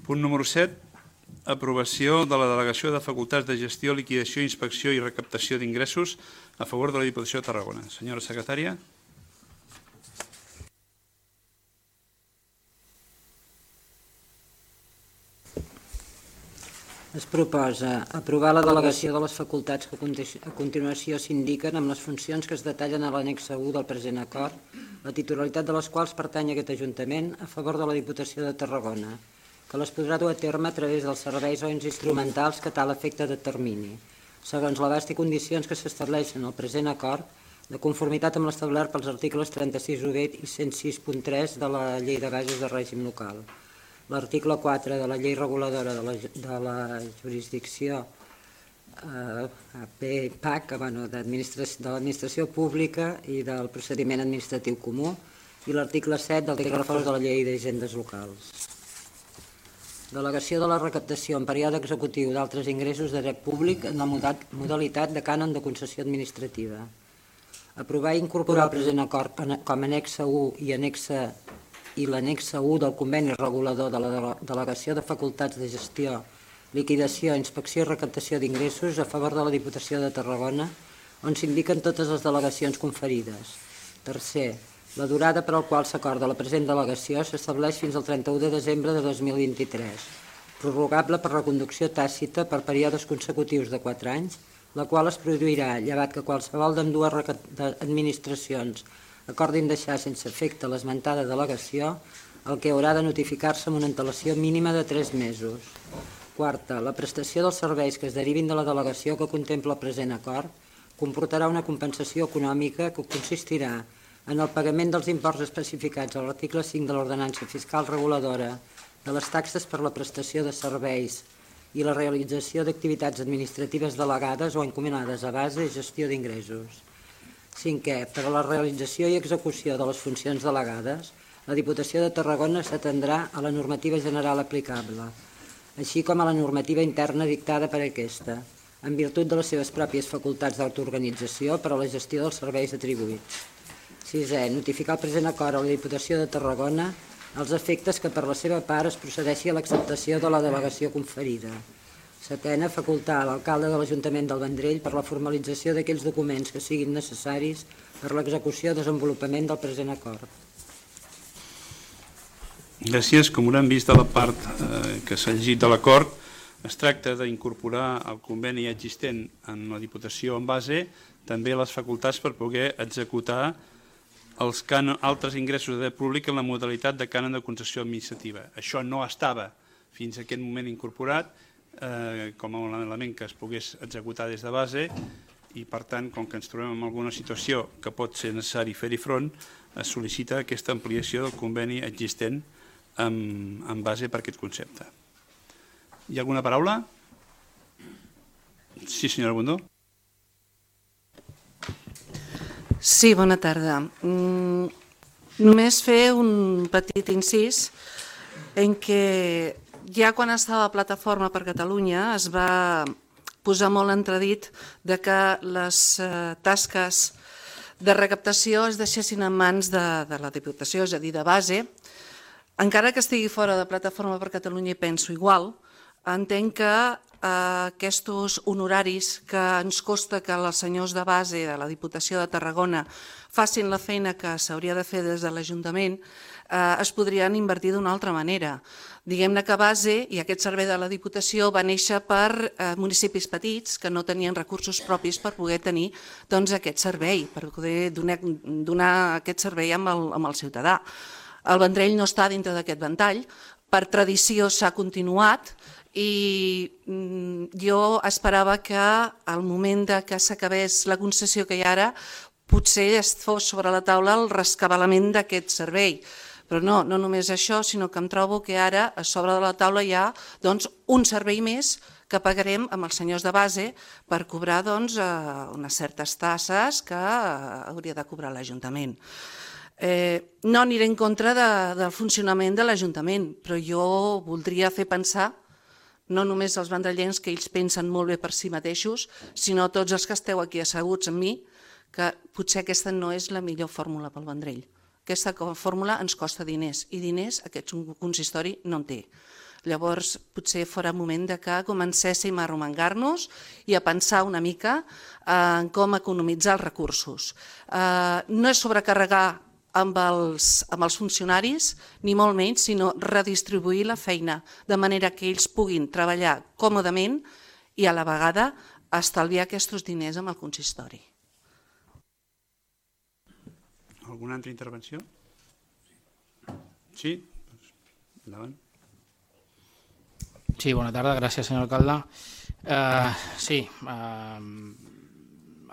Punt número 7. Aprovació de la delegació de facultats de gestió, liquidació, inspecció i recaptació d'ingressos a favor de la Diputació de Tarragona. Senyora secretària. Es proposa aprovar la delegació de les facultats que a continuació s'indiquen amb les funcions que es detallen a l'annex 1 del present acord, la titularitat de les quals pertany a aquest Ajuntament a favor de la Diputació de Tarragona, que les podrà dur a terme a través dels serveis o ens instrumentals que tal efecte determini, segons l'abast i condicions que s'estableixen al present acord, de conformitat amb l'establert pels articles 36.1 i 106.3 de la Llei de Bases de Règim Local, l'article 4 de la Llei Reguladora de la Jurisdicció PAC, de l'Administració Pública i del Procediment Administratiu Comú, i l'article 7 del text refós de la Llei d'Hisendes Locals. Delegació de la recaptació en període executiu d'altres ingressos de dret públic en la modalitat de cànon de concessió administrativa. Aprovar i incorporar el present acord com a annexa 1 i l'annexa 1 del conveni regulador de la delegació de facultats de gestió, liquidació, inspecció i recaptació d'ingressos a favor de la Diputació de Tarragona, on s'indiquen totes les delegacions conferides. Tercer, la durada per al qual s'acorda la present delegació s'estableix fins al 31 de desembre de 2023, prorrogable per reconducció tàcita per períodes consecutius de 4 anys, la qual es produirà llevat que qualsevol d'ambdues administracions acordin deixar sense efecte l'esmentada delegació, el que haurà de notificar-se amb una antelació mínima de 3 mesos. Quarta, la prestació dels serveis que es derivin de la delegació que contempla el present acord comportarà una compensació econòmica que consistirà en el pagament dels imports especificats a l'article 5 de l'Ordenança Fiscal Reguladora de les taxes per la prestació de serveis i la realització d'activitats administratives delegades o encomanades a base i gestió d'ingressos. Cinquè, per a la realització i execució de les funcions delegades, la Diputació de Tarragona s'atendrà a la normativa general aplicable, així com a la normativa interna dictada per aquesta, en virtut de les seves pròpies facultats d'autoorganització per a la gestió dels serveis atribuïts. Sisè, notificar el present acord a la Diputació de Tarragona els efectes que per la seva part es procedeixi a l'acceptació de la delegació conferida. Setena, facultar a l'alcalde de l'Ajuntament del Vendrell per la formalització d'aquells documents que siguin necessaris per l'execució i desenvolupament del present acord. Gràcies. Com haurem vist de la part que s'ha llegit de l'acord, es tracta d'incorporar el conveni existent en la Diputació en base també les facultats per poder executar els altres ingressos de dret públic en la modalitat de cànon de concessió administrativa. Això no estava fins a aquest moment incorporat com a un element que es pogués executar des de base i, per tant, com que ens trobem en alguna situació que pot ser necessari fer-hi front, es sol·licita aquesta ampliació del conveni existent en base per aquest concepte. Hi ha alguna paraula? Sí, senyora Bundó. Sí, bona tarda. Només fer un petit incís en què ja quan estava a Plataforma per Catalunya es va posar molt entredit de que les tasques de recaptació es deixessin en mans de la Diputació, és a dir, de base. Encara que estigui fora de Plataforma per Catalunya i penso igual, entenc que aquests honoraris que ens costa que els senyors de base de la Diputació de Tarragona facin la feina que s'hauria de fer des de l'Ajuntament es podrien invertir d'una altra manera. Diguem-ne que base i aquest servei de la Diputació va néixer per municipis petits que no tenien recursos propis per poder tenir aquest servei, per poder donar aquest servei amb el ciutadà. El Vendrell no està dintre d'aquest ventall, per tradició s'ha continuat i jo esperava que al moment que s'acabés la concessió que hi ha ara potser es fos sobre la taula el rescabalament d'aquest servei. Però no només això, sinó que em trobo que ara a sobre de la taula hi ha un servei més que pagarem amb els senyors de base per cobrar unes certes tasses que hauria de cobrar l'Ajuntament. No aniré en contra del funcionament de l'Ajuntament, però jo voldria fer pensar no només als vendrellencs que ells pensen molt bé per si mateixos, sinó tots els que esteu aquí asseguts amb mi, que potser aquesta no és la millor fórmula pel Vendrell. Aquesta fórmula ens costa diners i diners aquest consistori no en té. Llavors, potser fora moment que comencéssim a arromangar-nos i a pensar una mica en com economitzar els recursos. No és sobrecarregar amb els funcionaris, ni molt menys, sinó redistribuir la feina, de manera que ells puguin treballar còmodament i a la vegada estalviar aquests diners amb el consistori. Alguna altra intervenció? Sí? Endavant. Sí, buena tarde, gracias señor alcalde. Sí,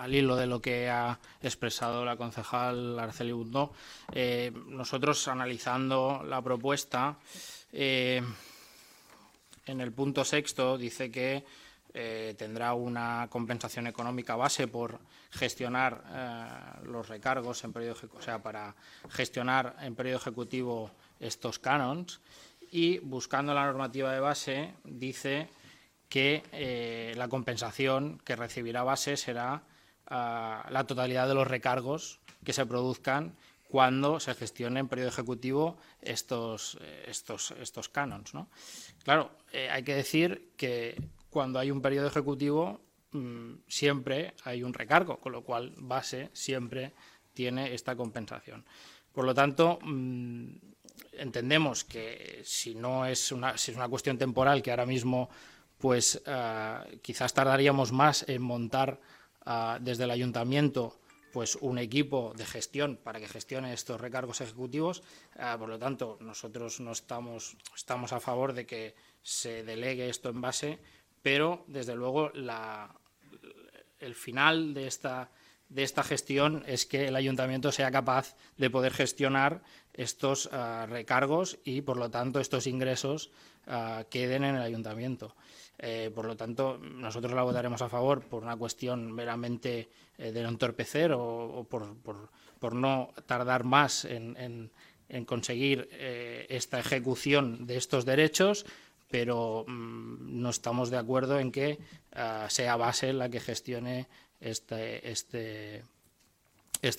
al hilo de lo que ha expresado la concejal Araceli Bundó, nosotros analizando la propuesta, en el punto 6 dice que tendrá una compensación económica base por gestionar los recargos en periodo ejecutivo, o sea, para gestionar en periodo ejecutivo estos canons, y buscando la normativa de base dice que la compensación que recibirá base será la totalidad de los recargos que se produzcan cuando se gestione en periodo ejecutivo estos canons, ¿no? Claro, hay que decir que cuando hay un periodo ejecutivo siempre hay un recargo, con lo cual base siempre tiene esta compensación. Por lo tanto, entendemos que si es una cuestión temporal, que ahora mismo pues quizás tardaríamos más en montar desde el ayuntamiento pues un equipo de gestión para que gestione estos recargos ejecutivos. Por lo tanto, nosotros no estamos a favor de que se delegue esto en base, pero desde luego el final de esta gestión es que el ayuntamiento sea capaz de poder gestionar estos recargos y, por lo tanto, estos ingresos queden en el ayuntamiento. Por lo tanto, nosotros la votaremos a favor por una cuestión meramente de no entorpecer o por no tardar más en conseguir esta ejecución de estos derechos, pero no estamos de acuerdo en que sea base la que gestione esta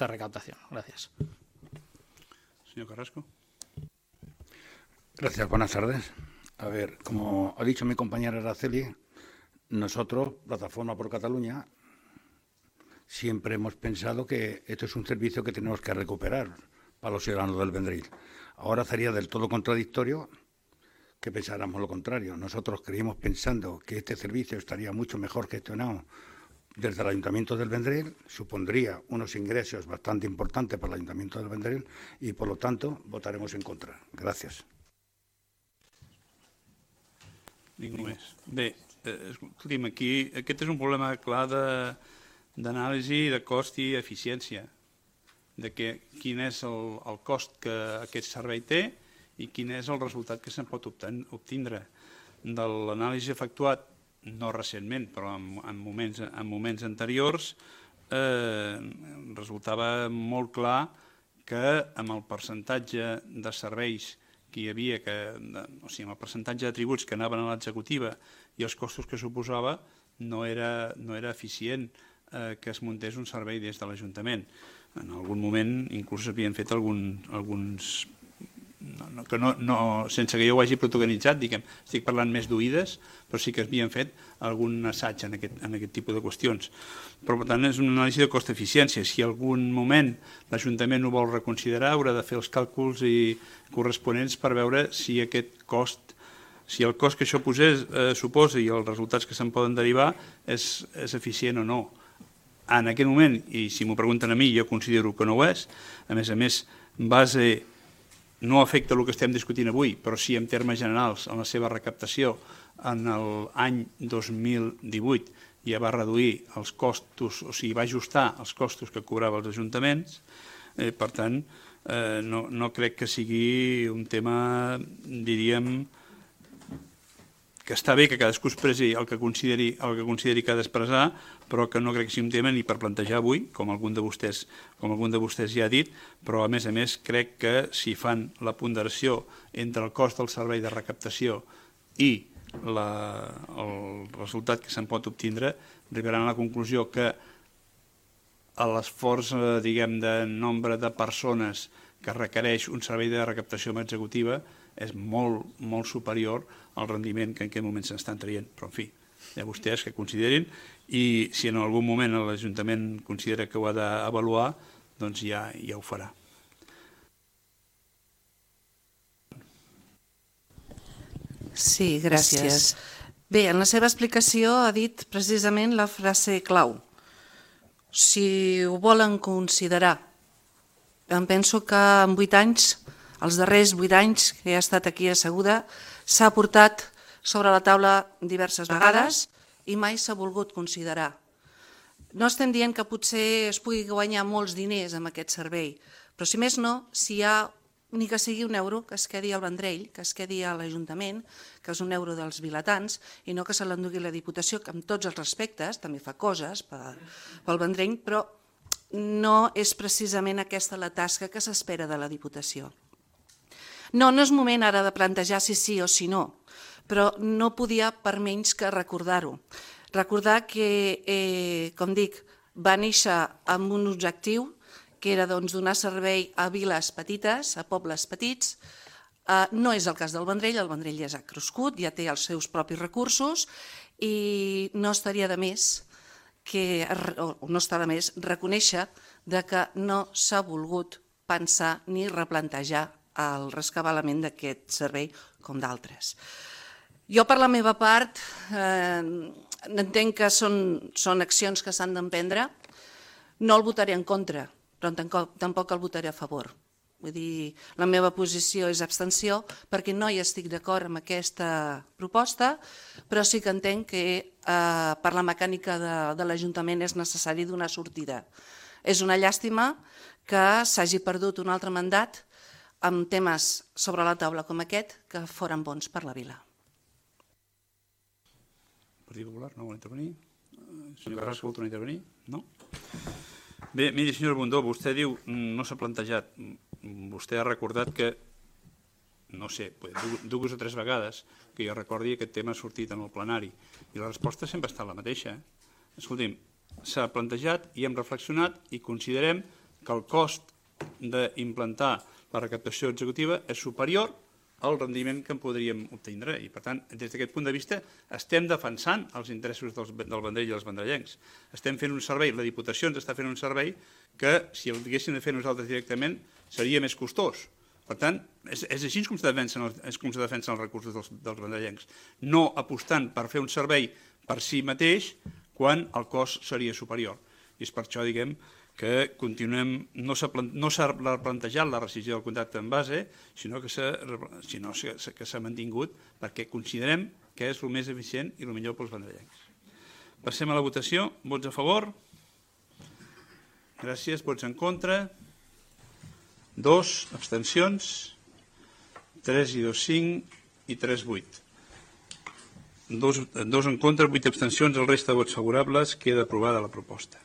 recaudación. Gracias. Señor Carrasco. Gracias, buenas tardes. A ver, como ha dicho mi compañera Araceli, nosotros, Plataforma por Cataluña, siempre hemos pensado que esto es un servicio que tenemos que recuperar para los ciudadanos del Vendrell. Ahora sería del todo contradictorio que pensáramos lo contrario. Nosotros creímos pensando que este servicio estaría mucho mejor gestionado desde el Ayuntamiento del Vendrell, supondría unos ingresos bastante importantes para el Ayuntamiento del Vendrell y, por lo tanto, votaremos en contra. Gràcies. Ningú més. Bé, escolti'm, aquí aquest és un problema clar d'anàlisi de cost i eficiència, de quin és el cost que aquest servei té i quin és el resultat que se'n pot obtindre. De l'anàlisi efectuat, no recentment, però en moments anteriors, resultava molt clar que amb el percentatge de serveis que hi havia, o sigui, amb el percentatge de tributs que anaven a l'executiva i els costos que suposava, no era eficient que es muntés un servei des de l'Ajuntament. En algun moment inclús s'havien fet alguns sense que jo ho hagi protagonitzat, diguem, estic parlant més d'oïdes, però sí que havien fet algun assaig en aquest tipus de qüestions. Però, per tant, és una anàlisi de cost-eficiència. Si en algun moment l'Ajuntament ho vol reconsiderar, haurà de fer els càlculs corresponents per veure si aquest cost, si el cost que això suposa i els resultats que se'n poden derivar és eficient o no. En aquest moment, i si m'ho pregunten a mi, jo considero que no ho és, a més, base no afecta el que estem discutint avui, però sí en termes generals en la seva recaptació en l'any 2018 ja va reduir els costos, o sigui, va ajustar els costos que cobrava els ajuntaments. Per tant, no crec que sigui un tema, diríem, que està bé que cadascú expressi el que consideri que ha d'expressar, però que no crec que sigui un tema ni per plantejar avui, com algun de vostès ja ha dit, però a més crec que si fan la ponderació entre el cost del servei de recaptació i el resultat que se'n pot obtindre, arribaran a la conclusió que l'esforç, diguem, de nombre de persones que requereix un servei de recaptació executiva és molt superior al rendiment que en aquest moment s'estan traient. Però, en fi, hi ha vostès que considerin, i si en algun moment l'Ajuntament considera que ho ha d'avaluar, doncs ja ho farà. Sí, gràcies. Bé, en la seva explicació ha dit precisament la frase clau. Si ho volen considerar, em penso que en 8 anys, els darrers 8 anys que he estat aquí asseguda, s'ha portat sobre la taula diverses vegades i mai s'ha volgut considerar. No estem dient que potser es pugui guanyar molts diners amb aquest servei, però si més no, si hi ha ni que sigui un euro que es quedi al Vendrell, que es quedi a l'Ajuntament, que és un euro dels vilatans, i no que se l'endugui la Diputació, que amb tots els respectes també fa coses pel Vendrell, però no és precisament aquesta la tasca que s'espera de la Diputació. No és moment ara de plantejar si sí o si no, però no podia per menys que recordar-ho. Recordar que, com dic, va néixer amb un objectiu que era donar servei a viles petites, a pobles petits. No és el cas del Vendrell, el Vendrell ja s'ha crescut, ja té els seus propis recursos i no estaria de més reconèixer que no s'ha volgut pensar ni replantejar el rescabalament d'aquest servei com d'altres. Jo, per la meva part, entenc que són accions que s'han d'emprendre. No el votaré en contra, però tampoc el votaré a favor. Vull dir, la meva posició és abstenció perquè no hi estic d'acord amb aquesta proposta, però sí que entenc que per la mecànica de l'Ajuntament és necessari donar sortida. És una llàstima que s'hagi perdut un altre mandat amb temes sobre la taula com aquest que foren bons per la vila. Partit Popular, no vol intervenir? Senyor Carrasco, vol tornar a intervenir? No? Bé, miri, senyora Bundó, vostè diu, no s'ha plantejat, vostè ha recordat que, no sé, 2 o 3 vegades que jo recordi aquest tema ha sortit en el plenari i la resposta sempre ha estat la mateixa. Escolti'm, s'ha plantejat i hem reflexionat i considerem que el cost d'implantar la recaptació executiva és superior al rendiment que en podríem obtindre i, per tant, des d'aquest punt de vista estem defensant els interessos del Vendrell i els vendrellencs. Estem fent un servei, la Diputació ens està fent un servei que, si el haguéssim de fer nosaltres directament, seria més costós. Per tant, és així com se defensen els recursos dels vendrellencs, no apostant per fer un servei per si mateix quan el cost seria superior. I és per això, diguem, que continuem, no s'ha plantejat la rescissió del contracte en base, sinó que s'ha mantingut perquè considerem que és el més eficient i el millor pels vendrellencs. Passem a la votació. Vots a favor? Gràcies. Vots en contra? 2. Abstencions? 3 i 2, 5 i 3, 8. 2 en contra, 8 abstencions, el resta de vots favorables. Queda aprovada la proposta.